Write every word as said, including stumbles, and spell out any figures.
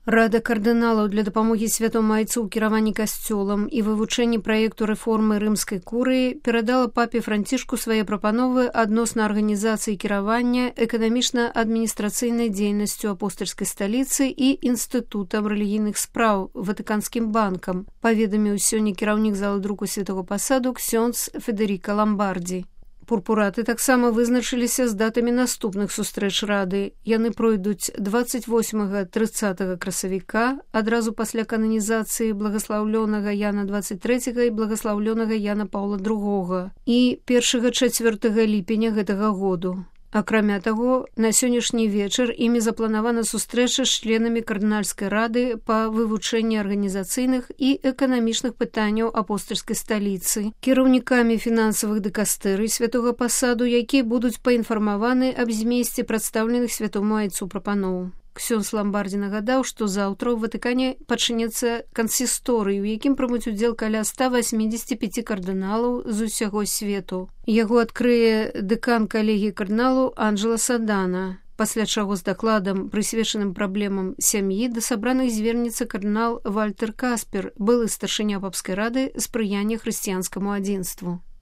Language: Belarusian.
Рада кардыналаў для дапамогі святому айцу ў кіраванні касцёлам і вывучэнні праекту рэформы рымскай курыі перадала папе Францішку свае прапановы адносна арганізацыі кіравання эканамічна-адміністрацыйнай дзейнасцю апостальскай сталіцы і інстытутам рэлігійных спраў Ватыканскім банкам, паведаміў сёння кіраўнік залы друку святого пасаду ксёндз Федэріка Ламбардзі. Пурпураты таксама вызначыліся з датамі наступных сустрэч рады. Яны пройдуць дваццаць восьмага трыццатага красавіка, адразу пасля кананізацыі благаслаўлёнага Яна дваццаць трэцяга і благаслаўлёнага Яна Паўла другога і першага чацвёртага ліпеня гэтага году. Акрамя таго, на сённяшні вечар імі запланавана сустрэча з членамі кардынальскай рады па вывучэнні арганізацыйных і эканамічных пытанняў апостальскай сталіцы, кіраўнікамі фінансавых дыкастэрый святога пасаду, якія будуць паінфармаваны аб змесце прадстаўленых святому айцу прапаноў. Ксёндз Ламбардзі нагадаў, што заўтра ў Ватыкане пачнецца кансісторый, у якім прымуць удзел каля ста васьмідзесяці пяці кардыналаў з усяго свету. Яго адкрые дэкан калегіі кардыналу Анджела Садана, пасля чаго з дакладам, прысвечаным праблемам сям'і, да сабраных звернецца кардынал Вальтер Каспер, былы старшыня папскай рады спрыяння хрысціянскаму адзінству.